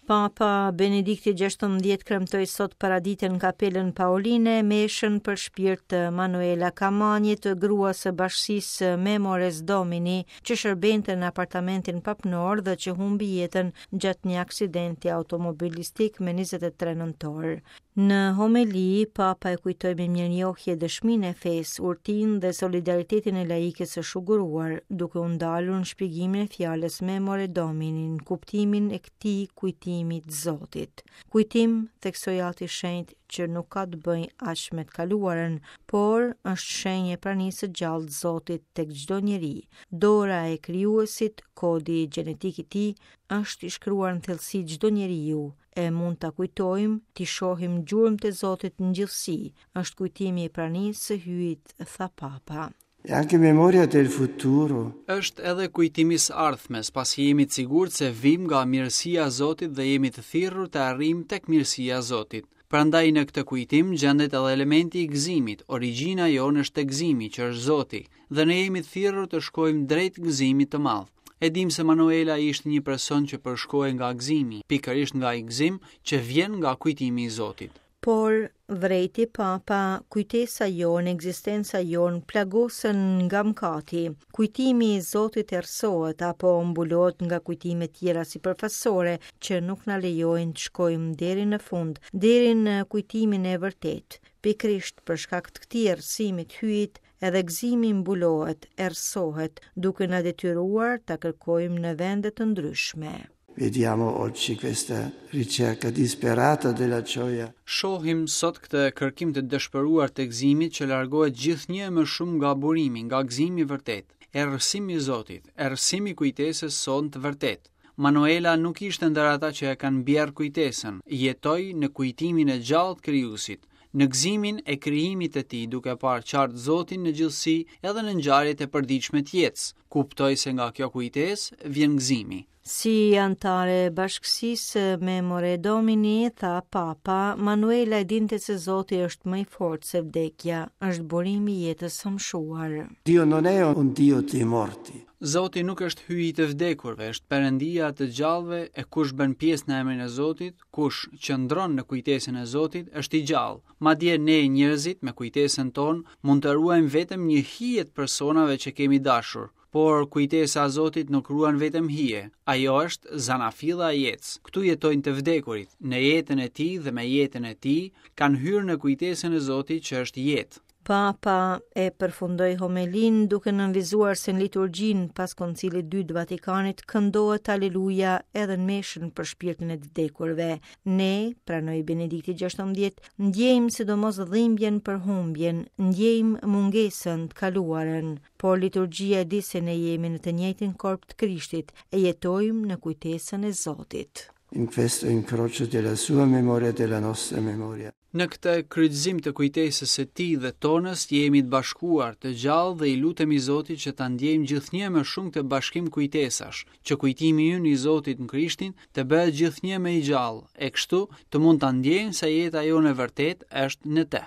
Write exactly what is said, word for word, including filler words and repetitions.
Papa Benedikti gjashtëmbëdhjetë kremtoi sot paradite në kapelën Paoline meshën për shpirt të Manuela Kamanjit, gruas së bashkësisë Memores Domini, që shërbente në apartamentin papnor dhe që humbi jetën gjatë një aksidenti automobilistik me njëzet e tre nëntor. Në homeli, Papa e kujtoi me mirënjohje dëshminë e fesë, urtinë dhe solidaritetin e laikës së shuguruar, duke u ndalur në shpjegimin e fjalës Memore Domini, në kuptimin e këtij kujtimi të Zotit. Kujtim, theksoi Ati Shenjt, që nuk ka të bëjë aq me të kaluarën, por është shenjë e pranisë së gjallë të Zotit tek çdo njeri. Dora e krijuesit, kodi gjenetik i tij, është i shkruar në thellësi çdo njeriu, e mund ta kujtojmë, t'i shohim gjurmët e Zotit në gjithësi. Është kujtimi i pranisë së Hyjit, tha Papa. È anche memoria del futuro. Është edhe kujtimi së ardhmes, pasi jemi të sigurt se vim nga mirësia e Zotit dhe jemi të thirrur të arrijmë tek mirësia e Zotit. Prandaj në këtë kujtim gjendet edhe elementi i gëzimit, origjina jonë është te gëzimi, që është Zoti, dhe ne jemi të thirrur të shkojmë drejt gëzimit të madh. E dim se Manuela ishte një person që përshkohej nga gëzimi, pikërisht nga ai gëzim që vjen nga kujtimi i Zotit. Por, vrejti Papa, kujtesa jonë, ekzistenca jonë plagosen nga mëkati. Kujtimi i Zotit errësohet apo mbulohet nga kujtime tjera sipërfaqësore që nuk na lejojnë të shkojmë deri në fund, deri në kujtimin e vërtetë. Pikërisht për shkak të këtij errësimi të Hyjit, edhe gëzimi mbulohet, errësohet, duke na detyruar ta kërkojmë në vende të ndryshme. Vediamo oggi questa ricerca disperata della gioia. Shohim sot këtë kërkim të dëshpëruar të gëzimit që largohet gjithnjë më shumë nga burimi, nga gëzimi i vërtet. Errësimi i Zotit, errësimi i kujtesës sonë të vërtet. Manuela nuk ishte ndër ata që e kanë bjerë kujtesën, jetoi në kujtimin e gjallë të krijuesit, në gëzimin e krijimit të tij, duke parë qartë Zotin në gjithësi edhe në ngjarjet e përditshme të jetës. Kuptoi se nga kjo kujtesë vjen gëzimi. Si anëtare e bashkësisë Memore Domini, tha Papa, Manuela e dinte se Zoti është më i fortë se vdekja, është burimi i jetës së mshuar. Dio non è un Dio dei morti. Zoti nuk është hyji i të vdekurve, është Perëndia të gjallëve, e kush bën pjesë në emrin e Zotit, kush qëndron në kujtesën e Zotit, është i gjallë. Madje ne njerëzit me kujtesën tonë mund të ruajmë vetëm një hije të personave që kemi dashur, por kujtesa e Zotit nuk ruan vetëm hije, ajo është zanafilla e jetës. Këtu jetojnë të vdekurit, në jetën e tij dhe me jetën e tij kanë hyrë në kujtesën e Zotit që është jetë. Papa e përfundoi homelin duke nënvizuar se në liturgjinë pas Koncilit dy të Vatikanit këndohet Aleluja edhe në meshën për shpirtin e të vdekurve. Ne, pranoi Benedikti gjashtëmbëdhjetë, ndjejmë sidomos dhimbjen për humbjen, ndjejmë mungesën të kaluarën, por liturgjia e di se ne jemi në të njëjtin korp të Krishtit e jetojmë në kujtesën e Zotit. In questo incrocio della sua memoria e della nostra memoria. Në këtë kryqëzim të kujtesës së tij dhe tonës jemi të bashkuar, të gjallë dhe i lutemi Zotit që ta ndjejmë gjithnjë më shumë këtë bashkim kujtesash, që kujtimi ynë i Zotit në Krishtin të bëhet gjithnjë më i gjallë, e kështu të mund ta ndjejmë se jeta jonë e vërtetë është në të.